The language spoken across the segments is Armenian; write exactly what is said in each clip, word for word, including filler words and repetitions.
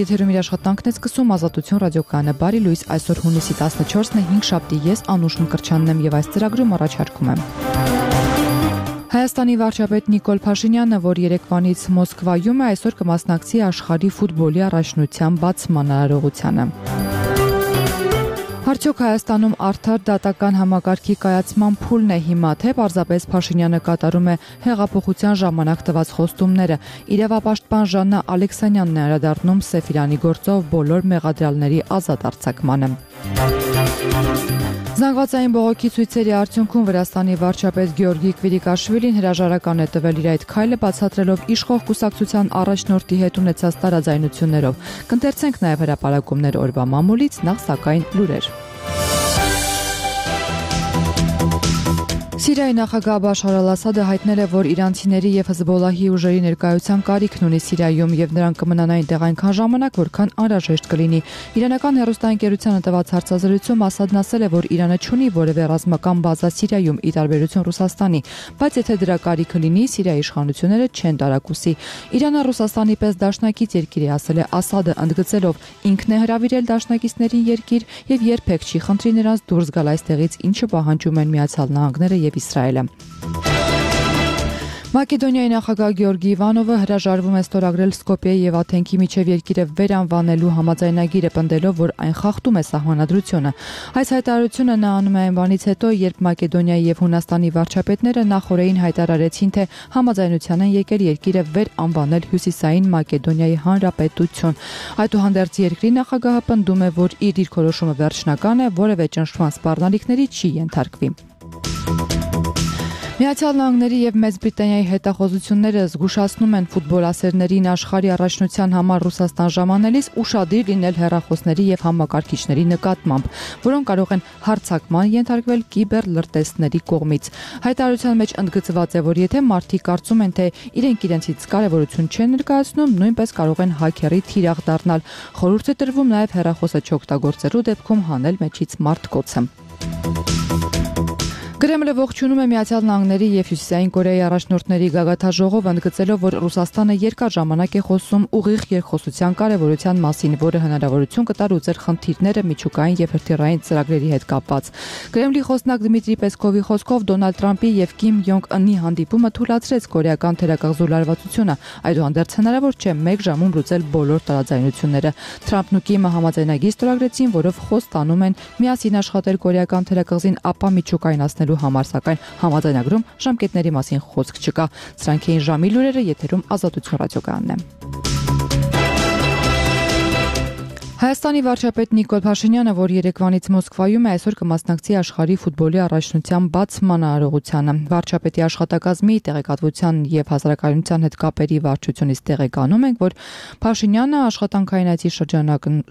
եթերում իր աշխատանքն է սկսում Ազատություն ռադիոկայանը։ Բարի լույս, այսօր հունիսի տասնչորսն է, հինգշաբթի, ես Անուշ Մկրտչյանն եմ եւ այս ծրագրում առաջարկում եմ։ Հայաստանի վարչապետ Նիկոլ Փաշինյանը, որ երեկվանից Մոսկվայում է, այսօր կմասնակցի աշխարհի ֆուտբոլի առաջնության բացման արարողությանը։ Արդյոք Հայաստանում արդար դատական համակարգի կայացման փուլն է հիմա, թե պարզապես Փաշինյանը կատարում է հեղափոխության ժամանակ տված խոստումները։ Իրավապաշտպան Ժաննա Ալեքսանյանն է անդրադառնում Սեֆիրանի գործով բոլոր մեղադրյալների ազատ արձակմանը։ Զանգվածային բողոքի ցույցերի արդյունքում Վրաստանի վարչապետ Գեորգի Կվիրիկաշվիլին հրաժարական է տվել իր այդ քայլը, բացատրելով իշխող կուսակցության առաջնորդի հետ ունեցած տարաձայնություններով։ Կընթերցենք նաև հրապարակումներ օրվա մամուլից, նախ սակայն լուրեր։ Սիրիայի նախագահ Բաշար Ալ-Ասադը հայտնել է, որ իրանցիների եւ Հեզբոլլահի ուժերի ներկայության կարիքն ունի Սիրիայում եւ նրանք կմնան այնտեղ այնքան ժամանակ, որքան անհրաժեշտ կլինի։ Իրանական հեռուստաընկերությանը տված հարցազրույցում Ասադն ասել է, որ Իրանը չունի որևէ ռազմական բազա Սիրիայում, ի տարբերություն Ռուսաստանի, բայց եթե դրա կարիքը լինի, Սիրիայի իշխանությունները չեն տարակուսի։ Իրանը Ռուսաստանի պես դաշնակից երկիր է, ասել է Ասադը, ընդգծելով ինքն է հրավիրել դաշնակիցներին երկիր եւ երբեք չի խնդրի նրանց դուրս գալ այստեղից, ինչը պահանջում են Միացյալ Նահանգները եւ Իսրայելը։ Մակեդոնիայի նախագահ Գեորգի Իվանովը հրաժարվում է ստորագրել Սկոպիեի եւ Աթենքի միջև երկիրը վերանվանելու համաձայնագիրը, պնդելով, որ այն խախտում է սահմանադրությունը։ Այս հայտարարությունը նա անում է այն բանից հետո, երբ Մակեդոնիայի եւ Հունաստանի վարչապետները նախորդին հայտարարեցին, թե համաձայնության են եկել երկիրը վերանվանել Հյուսիսային Մակեդոնիայի Հանրապետություն։ Այդուհանդերձ երկրի նախագահը պնդում է, որ իր դիրքորոշումը վերջնական է, որևէ ճնշման սպառնալիքների չի ենթարկվի։ Միացյալ Նահանգների եւ Մեծ Բրիտանիայի հետախուզությունները զգուշացնում են ֆուտբոլասերներին աշխարհի առաջնության համար Ռուսաստան ժամանելիս ուշադիր լինել հեռախոսների եւ համակարգիչների նկատմամբ, որոնք կարող են հարձակման ենթարկվել կիբեր լրտեսների կողմից։ Հայտարարության մեջ ընդգծված է, որ եթե մարդիկ կարծում են, թե իրենք իրենցից կարևորություն չեն ներկայացնում, նույնպես կարող են հաքերի թիրախ դառնալ։ Խորհուրդ է տրվում նաեւ հեռախոսը չօգտագործելու դեպքում հանել մեջից մարտկոցը։ Կրեմլը ողջունում է Միացյալ Նահանգների եւ Հյուսիսային Կորեայի առաջնորդների գագաթաժողով, ընդգծելով, որ Ռուսաստանը երկար ժամանակ է խոսում ուղիղ երկխոսության կարեւորության մասին, որը հնարավորություն կտար լուծել խնդիրները միջուկային եւ հրթիռային ծրագրերի հետ կապված։ Կրեմլի խոսնակ Դմիտրի Պեսկովի խոսքով Դոնալդ Թրամփի եւ Կիմ Յոնգ Ընի հանդիպումը թույլատրեց կորեական թերակղզու լարվածությունը, այդուհանդերձ հնարավոր չէ մեկ ժամում լուծել բոլոր տարաձայնությունները։ Թրամփն ու Կիմը համաձայնագիր ստորագրեցին, որով խոս տանում են միասին աշխատել կորեական թերակղզին ապա միջուկայնացնել համար, սակայն համաձայնագրում ժամկետների մասին խոսք չկա։ Սրանք էին ժամի լուրերը, եթերում Ազատություն ռադիոկայանն է։ Հայաստանի վարչապետ Նիկոլ Փաշինյանը, որ երեկվանից Մոսկվայում է, այսօր կմասնակցի աշխարհի ֆուտբոլի առաջնության բացման արարողությանը։ Վարչապետի աշխատակազմի տեղեկատվության եւ հասարակայնության հետ կապերի վարչությունից տեղեկանում ենք, որ Փաշինյանը աշխատանքային այցի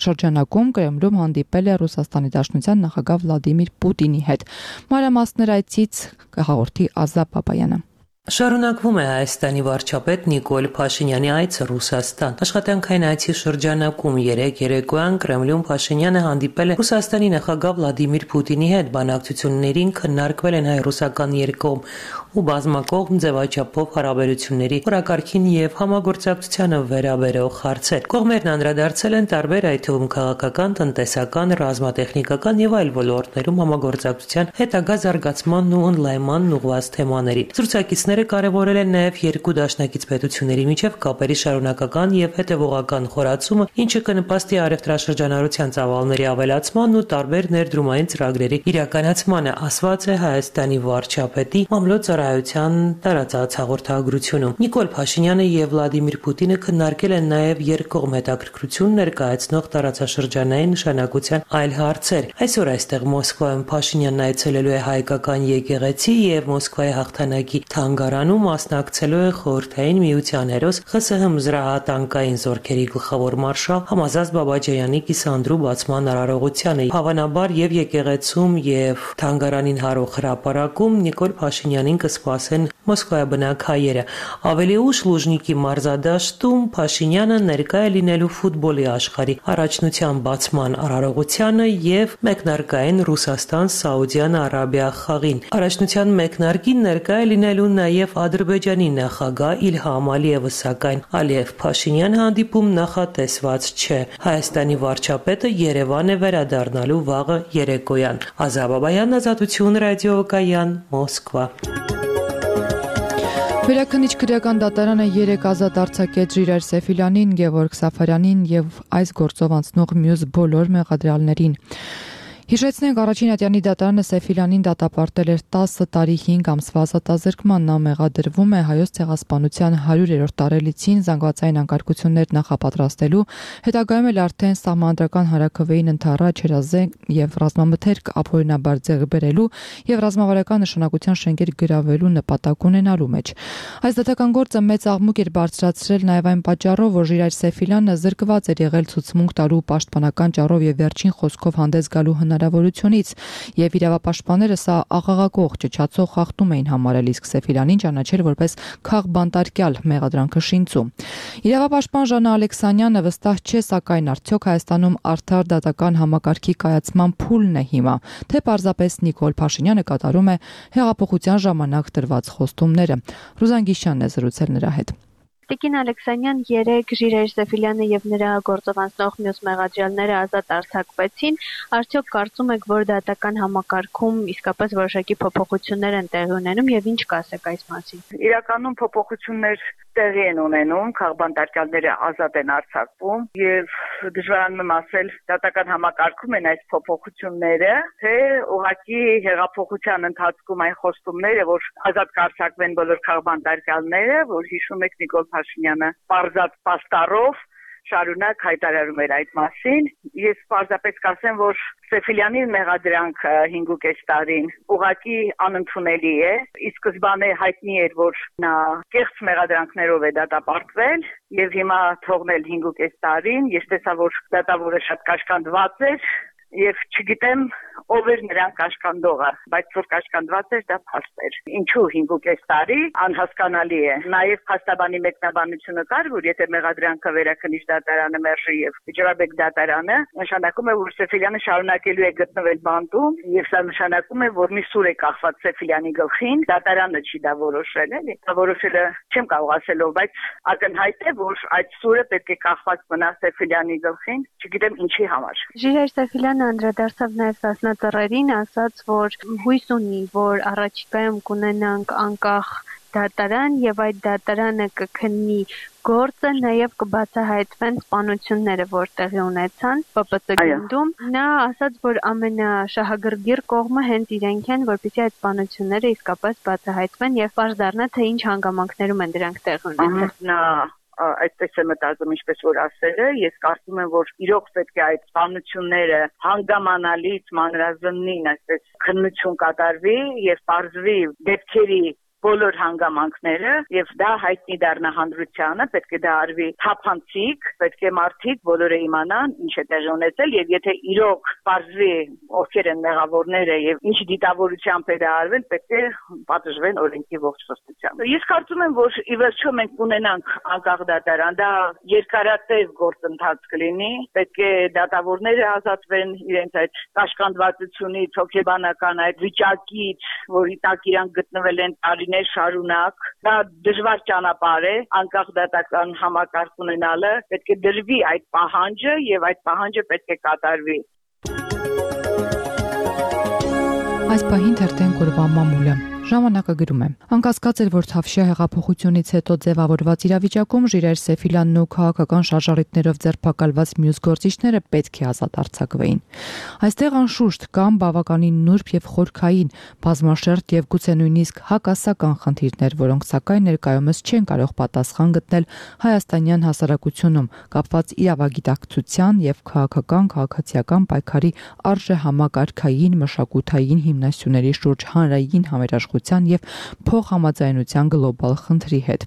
շրջանակում Կրեմլում հանդիպել է Ռուսաստանի Դաշնության նախագահ Վլադիմիր Պուտինի հետ։ Մանրամասներ այցից կհաղորդի Ազա Բաբայանը։ Շարունակվում է Հայաստանի վարչապետ Նիկոլ Փաշինյանի այցը Ռուսաստան։ Աշխատանքային այցի շրջանակում երեկ երեկոյան Կրեմլում Փաշինյանը հանդիպել է Ռուսաստանի նախագահ Վլադիմիր Պուտինի հետ։ Բանակցություններին քննարկվել են հայ-ռուսական երկկողմ ու բազմակողմ ձևաչափով հարաբերությունների օրակարգին եւ համագործակցությանը վերաբերող հարցեր։ Կողմերն անդրադարձել են տարբեր, այդ թվում քաղաքական, տնտեսական, ռազմատեխնիկական եւ այլ ոլորտներում համագործակցության հետագա զարգացմանն ու ընդլայնմանն ուղղված թեմաների։ Զրուցակիցները կարևորել են նաև երկու դաշնակից պետությունների միջև կապերի շարունակական եւ հետեւողական խորացումը, ինչը կնպաստի առևտրաշրջանառության ծավալների ավելացման ու տարբեր ներդրումային ծրագրերի իրականացմանը, ասված է Հայաստանի վարչապետի մամլոյցարայության տարածած հաղորդագրությունում։ Նիկոլ Փաշինյանը եւ Վլադիմիր Պուտինը քննարկել են նաև երկկողմ հետաքրքրություն ներկայացնող տարածաշրջանային նշանակության այլ հարցեր։ Այսօր այստեղ Մոսկվայում Փաշինյանն այցելելու է հայկական եկեղեցի եւ Մոսկվայի հաղթանակի թանգարանում մասնակցելու է Խորհրդային Միության հերոս ԽՍՀՄ զրահատանկային զորքերի գլխավոր մարշալ Համազած Բաբաջյանի կիսանդրու բացման արարողությանը։ Հավանաբար եւ եկեղեցում եւ թանգարանին հարող հրապարակում Նիկոլ Փաշինյանին կսպասեն մոսկվայաբնակ հայերը։ Ավելի ուշ Լուժնիկի մարզադաշտում Փաշինյանը ներկայ է լինելու ֆուտբոլի աշխարհի առաջնության բացման արարողությանը եւ մեկնարկային Ռուսաստան-Սաուդյան Արաբիա խաղին։ Առաջնության մեկնարկին ներկայ է լինելու նաև Ադրբեջանի նախագահ Իլհամ Ալիևը, սակայն Ալիև Փաշինյան հանդիպում նախատեսված չէ։ Հայաստանի վարչապետը Երևան է վերադառնալու վաղը երեկոյան։ Ազա Բաբայան, Ազատություն ռադիոկայան, Մոսկվա։ Վերաքննիչ քրեական դատարանը երեք ազատ արձակեց Ժիրայր Սեֆիլյանին, Գևորգ Սաֆարյանին եւ այս գործով անցնող մյուս բոլոր մեղադրյալներին։ Հիշեցնենք, առաջին ատյանի դատարանը Սեֆիլյանին դատապարտել էր տասը տարի հինգ ամսվա ազատազրկման։ Նա մեղադրվում է Հայոց ցեղասպանության հարյուրերորդ տարելիցին զանգվածային անկարգություններ նախապատրաստելու, հետագայում էլ արդեն սահմանադրական հարաքվեին ընդառաջ հրազեն եւ ռազմամթերք ապօրինաբար ձեռք բերելու եւ ռազմավարական նշանակության շենքեր գրավելու նպատակ ունենալու մեջ։ Այս դատական գործը մեծ աղմուկ էր բարձրացրել նաեւ այն պատճառով, որ Ժիրայր Սեֆիլյանը զրկված էր եղել ցուցմունք տալու պաշտպանական ճառով եւ վերջին խոսքով հանդես գալու հնարավորությունից, եւ իրավապաշտպանները սա աղաղակող ճչացող խախտում էին համարել, իսկ Սեֆիլյանին ճանաչել որպես քաղբանտարկյալ մեղադրանքը շինծու։ Իրավապաշտպան Ժանա Ալեքսանյանը վստահ չէ, սակայն արդյոք Հայաստանում արդար դատական համակարգի կայացման փուլն է հիմա, թե պարզապես Նիկոլ Փաշինյանը կատարում է հեղափոխության ժամանակ տրված խոստումները։ Ռուզան Գիշյանն է զրուցել նրա հետ։ Տիկին Ալեքսանյան երեք Ժիրայր Սեֆիլյանը եւ նրա գործով անցնող մյուս մեղադրյալները ազատ արձակվեցին, արդյոք կարծում եք, որ դատական համակարգում իսկապես որոշակի փոփոխություններ են տեղի ունենում եւ ինչ կասեք այս մասին։ Իրականում փոփոխություններ տեղի են ունենում, քաղբանտարկյալները ազատ են արձակվում եւ դժվարանում եմ ասել դատական համակարգում են այս փոփոխությունները, թե ուղղակի հեղափոխության ընթացքում այն խոստումները, որ ազատ կարձակվեն բոլոր քաղբանտարկյալները, որ հիշում եք Նիկոլ Փաշինյանը պարզած պաստառով շարունակ հայտարարում էր այդ մասին։ Ես պարզապես կասեմ, որ Սեֆիլյանի մեղադրանքը հինգուկես տարին ուղղակի անընդունելի է։ Ի սկզբանե հայտնի էր, որ նա կեղծ մեղադրանքներով է դատապարտվել եւ հիմա թողնել հինգուկես տարին։ Ես տեսա, որ դատավորը շատ կաշկանդված էր եւ չգիտեմ ով էր նրան կաշկանդողը, բայց որ կաշկանդված էր դա փաստ էր։ Ինչու հինգուկես տարի անհասկանալի է։ Նաեւ փաստաբանի մեկնաբանությունը կար, որ եթե մեղադրանքը վերաքննիչ դատարանը մերժի եւ Ջրաբեկ դատարանը, նշանակում է, որ Սեֆիլյանը շարունակելու է գտնվել բանտում եւ սա նշանակում է, որ մի սուր է կախված Սեֆիլյանի գլխին, դատարանը չի դա որոշել, էլի։ Դա որոշելը չեմ կարող ասել, բայց ակնհայտ է, որ այդ սուրը պետք է կախված մնա Սեֆիլյանի գլխին, չգիտեմ ինչի համար։ Ժիրայր Սեֆիլյանը անդրադարձավ նաեւ Սասնաձեռերին, ասաց, որ հույս ունի, որ առաջիկայում կունենանք անկախ դատարան եւ այդ դատարանը կքննի գործը, նաեւ կբացահայտվեն սպանությունները, որ տեղի ունեցան Պ Պ Ց գնդում։ Նա ասաց, որ ամենաշահագրգիռ կողմը հենց իրենք են, որպեսզի այդ սպանությունները իսկապես բացահայտվեն եւ պարզ դառնա, թե ինչ հանգամանքներում են դրանք տեղի ունեցել։ Նա այդպես է մտածում, ինչպես որ ասել է, ես կարծում եմ, որ իրոք պետք է այդ սպանությունները հանգամանալից մանրազնին, այսպես քննություն կատարվի եւ պարզվի դեպքերի բոլոր հանգամանքները եւ դա հայտնի դառնա հանրությանը, պետք է դա արվի թափանցիկ, պետք է մարդիկ բոլորը իմանան ինչ է տեղի ունեցել եւ եթե իրոք պարզվի ովքեր են մեղավորները եւ ինչ դիտավորությամբ է դա արվել, պետք է պատժվեն օրենքի ողջ խստությամբ։ Ես կարծում եմ, որ ի վերջո մենք ունենանք անկախ դատարան, դա երկարատև գործընթաց կլինի, պետք է դատավորները ազատվեն իրենց այդ կաշկանդվածությունից, հոգեբանական այդ վիճակից, որի տակ իրանք գտնվել են տարի շարունակ, դա դժվար ճանապարհ է, անկախ դատական համակարգ ունենալը, պետք է դրվի այդ պահանջը եւ այդ պահանջը պետք է կատարվի։ Այս պահին թերթեն կորվա մամուլը Ժամանակը գրում է. Անկասկած էր, որ Թավշյա հեղափոխությունից հետո ձևավորված իրավիճակում Ժիրայր Սեֆիլյանն ու քաղաքական շարժառիթներով ձերբակալված մյուս գործիչները պետք է ազատ արձակվեին։ Այստեղ անշուշտ կան բավականին նուրբ եւ խորքային, բազմաշերտ եւ գուցե նույնիսկ հակասական խնդիրներ, որոնք սակայն ներկայումս չեն կարող պատասխան գտնել հայաստանյան հասարակությունում, կապված իրավագիտակցության եւ քաղաքական քաղաքացիական պայքարի արժեհամակարգային մշակութային հիմնասյուների շուրջ հանրային համերաշխության եւ փոխհամաձայնության գլոբալ խնդրի հետ։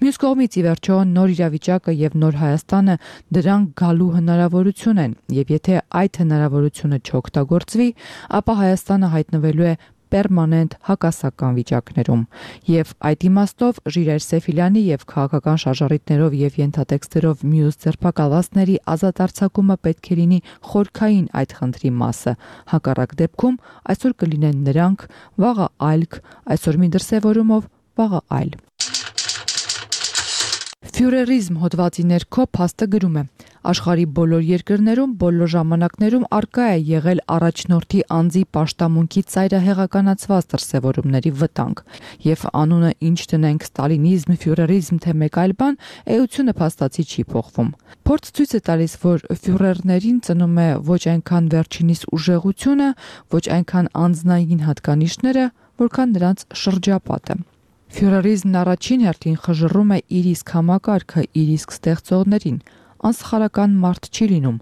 Մյուս կողմից, ի վերջո, նոր իրավիճակը եւ նոր Հայաստանը դրանք գալու հնարավորություն են, եւ եթե այդ հնարավորությունը չօգտագործվի, ապա Հայաստանը հայտնվելու է պերմանենտ հակասական վիճակներում եւ այդ իմաստով Ժիրայր Սեֆիլյանի եւ քաղաքական շարժառիթներով եւ ենթատեքստերով մյուս ձերբակալվածների ազատ արձակումը պետք է լինի խորքային այդ խնդրի մասը։ Հակառակ դեպքում այսօր կլինեն նրանք, վաղը այլք, այսօր մի դրսևորումով, վաղը այլ։ Ֆյուրերիզմ հոդվածի ներքո փաստը գրում է. աշխարհի բոլոր երկրներում բոլոր ժամանակներում արկա է եղել առաջնորդի անձի պաշտամունքի ծայրահեղականացված դրսևորումների վտանգ, եւ անունը ինչ դնենք ստալինիզմ, ֆյուրերիզմ թե մեկ այլ բան, էությունը փաստացի չի փոխվում։ Փորձ ցույց է տալիս, որ ֆյուրերներին ծնում է ոչ այնքան վերջինիս ուժեղությունը, ոչ այնքան անձնային հատկանիշները, որքան նրանց շրջապատը։ Ֆյուրերիզմն առաջին հերթին խժռում է իր իսկ համակարգը, իր իսկ ստեղծողներին։ Անսխալական մարդ չի լինում։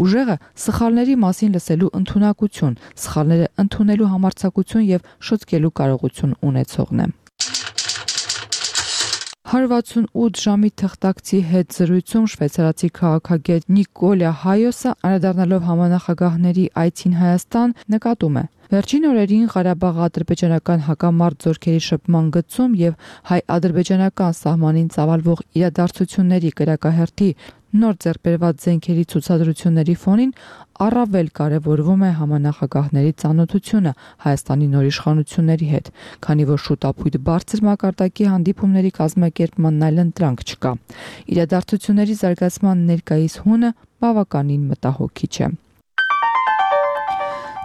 Ուժեղը սխալների մասին լսելու ընդունակություն, սխալները ընդունելու համարձակություն եւ շտկելու կարողություն ունեցողն է։ one sixty-eight ժամի թղթակցի հետ զրույցում շվեյցարացի քաղաքագետ Նիկոլա Հայոսը, անդրադառնալով համանախագահների այցին Հայաստան, նկատում է. Վերջին օրերին Ղարաբաղ-ադրբեջանական հակամարտ զորքերի շփման գծում եւ հայ-ադրբեջանական սահմանին ծավալվող իրադարձությունների կրակահերթի նոր ձեռքբերված զենքերի ցուցադրությունների ֆոնին առավել կարևորվում է համանախագահների ծանոթությունը Հայաստանի նոր իշխանությունների հետ, քանի որ շուտապույտ բարձր մակարդակի հանդիպումների կազմակերպման այլընտրանք չկա։ Իրադարձությունների զարգացման ներկայիս հունը բավականին մտահոգիչ է։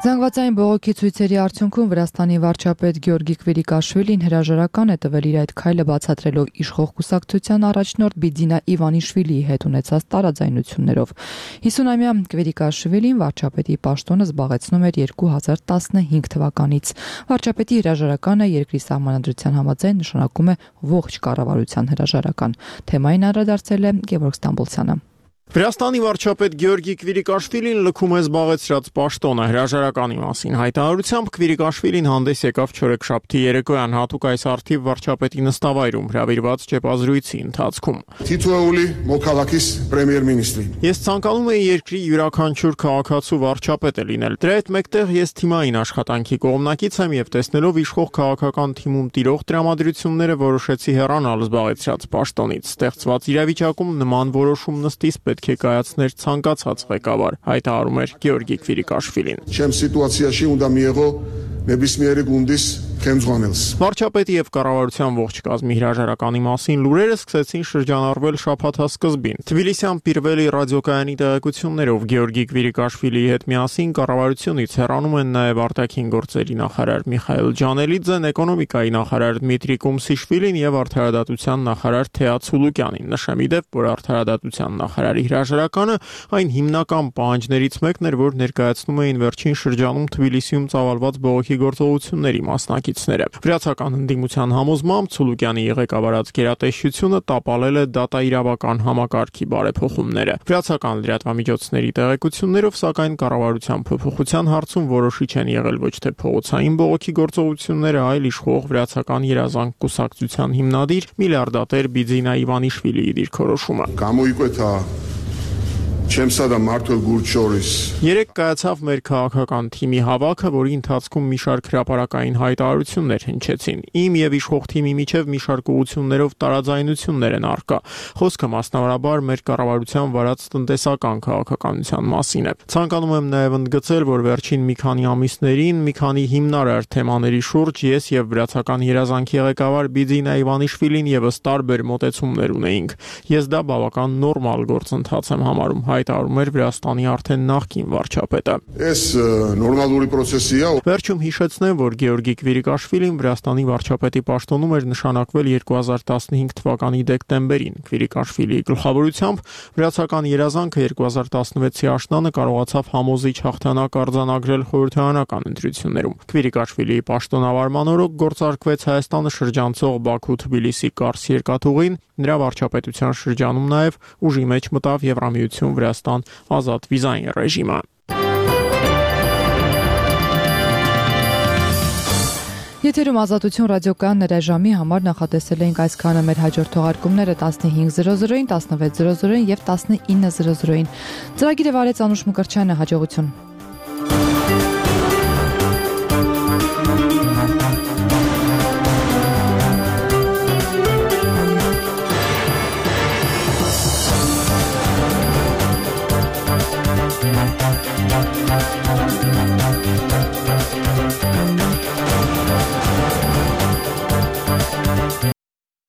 Զանգվածային բողոքի ցույցերի արդյունքում Վրաստանի վարչապետ Գեորգի Քվիրիկաշվիլին հրաժարական է տվել իր այդ քայլը բացատրելով իշխող կուսակցության առաջնորդ Բիձինա Իվանիշվիլիի հետ ունեցած տարաձայնություններով։ հիսունամյա Քվիրիկաշվիլին վարչապետի պաշտոնը զբաղեցնում էր երկու հազար տասնհինգ թվականից։ Վարչապետի հրաժարականը երկրի սահմանադրության համաձայն նշանակում է ողջ կառավարության հրաժարական։ Թեմային անդրադարձել է Գևորգ Ստամբոլցյանը։ Վրաստանի վարչապետ Գեորգի Քվիրիկաշվիլին լքում է զբաղեցրած պաշտոնը հրաժարականի մասին հայտարարությամբ Քվիրիկաշվիլին հանդես եկավ չորեքշաբթի երեկոյան հատուկ այս արդիվ վարչապետի նստավայրում հրավիրված ճեպազրույցի ընթացքում։ Թիթուეული մոքալակիս պրեմիեր-մինիստրին։ Ես ցանկանում եի երկրի յուրաքանչյուր քաղաքացու վարչապետը լինել։ Դրա հետ մեկտեղ ես թիմային աշխատանքի կողմնակից եմ եւ տեսնելով իշխող քաղաքական թիմում տիրող տրամադրությունները որոշեցի հեռանալ զբաղեցրած պաշտոնից։ Ստեղծված իրավիճակում նման որոշում նստից պետք է կայացներ ցանկացած ղեկավար, հայտարարում էր Գեորգի Քվիրիկաշվիլին։ Չեմ սիտուացիայի ունდა միեղո նեբիսմիերի գունդիս Քեմզվանելս։ Վարչապետի եւ կառավարության ողջ կազմի հրաժարականի մասին լուրերը սկսեցին շրջանառվել շաբաթասկզբին։ Թբիլիսյան Պիրվելի ռադիոկայանի տեղեկություններով Գեորգի Քվիրիկաշվիլիի հետ միասին կառավարությունից հեռանում են նաեւ արտաքին գործերի նախարար Միխայել Ջանելիձեն, էկոնոմիկայի նախարար Դմիտրի Կումսիշվիլին եւ արդարադատության նախարար Թեա Ցուլուկյանին։ Նշեմ իդեպ, որ արդարադատության նախարարի հրաժարականը այն հիմնական պահանջներից մեկն էր, որ ներկայացնում էին վերջին շրջանում Թբիլիսիում ծավալված բողոքի գործողությունների մասնակիցները։ Վրացական ընդդիմության համոզմամբ Ցուլուկյանի ղեկավարած գերատեսչությունը տապալել է դատաիրավական համակարգի բարեփոխումները։ Վրացական լրատվամիջոցների տեղեկություններով, սակայն կառավարության փոփոխության հարցում որոշիչ են եղել ոչ թե փողոցային բողոքի գործողությունները, այլ իշխող վրացական երազանք կուսակցության հիմնադիր միլիարդատեր Բիձինա Իվանիշվիլիի դիրքորոշումը։ Կամույկոթա Չեմսադա Մարտոլ Գուրչորիս։ Երեք կայացավ մեր քաղաքական թիմի հավաքը, որի ընթացքում մի շարք հրապարակային հայտարարություններ հնչեցին։ Իմ եւ իշխող թիմի միջև մի շարք ուղղություններով տարաձայնություններ են առկա։ Խոսքը մասնավորաբար մեր կառավարության վարած տնտեսական քաղաքականության մասին է։ Ցանկանում եմ նաեւ ընդգծել, որ վերջին մի քանի ամիսներին մի քանի հիմնարար թեմաների շուրջ ես եւ վրացական երազանքի ղեկավար Բիձինա Իվանիշվիլին եւս տարբեր մոտեցումներ ունեինք։ Ես դա բավական նորմալ գործընթաց եմ համարում, հայտարարում էր Վրաստանի արդեն նախկին վարչապետը։ Էս նորմալուրի process-ի է։ Վերջում հիշեցնեմ, որ Գեորգի Քվիրիկաշվիլին Վրաստանի վարչապետի պաշտոնում էր նշանակվել երկու հազար տասնհինգ թվականի դեկտեմբերին։ Քվիրիկաշվիլիի գլխավորությամբ վրացական երազանքը երկու հազար տասնվեցի աշնանը կարողացավ համոզիչ հաղթանակ արձանագրել խորհրդարանական ընտրություններում։ Քվիրիկաշվիլիի պաշտոնավարման օրոք գործարկվեց Հայաստանը շրջանցող Բաքու-Թբիլիսի Կարս երկաթուղին, նրա վարչապետության շրջանում նաև ուժի մեջ մտավ Եվրամիություն Վրաստան ազատ վիզային ռեժիմը։ Եթերում Ազատություն ռադիոկայանն էր այժմի համար նախատեսել էինք այսքանը, մեր հաջորդ թողարկումները տասնհինգ զրո զրոին, տասնվեց զրո զրոին եւ տասնինը զրո զրոին։ Ծրագիրը վարեց Անուշ Մկրտչյանը, հաջողություն։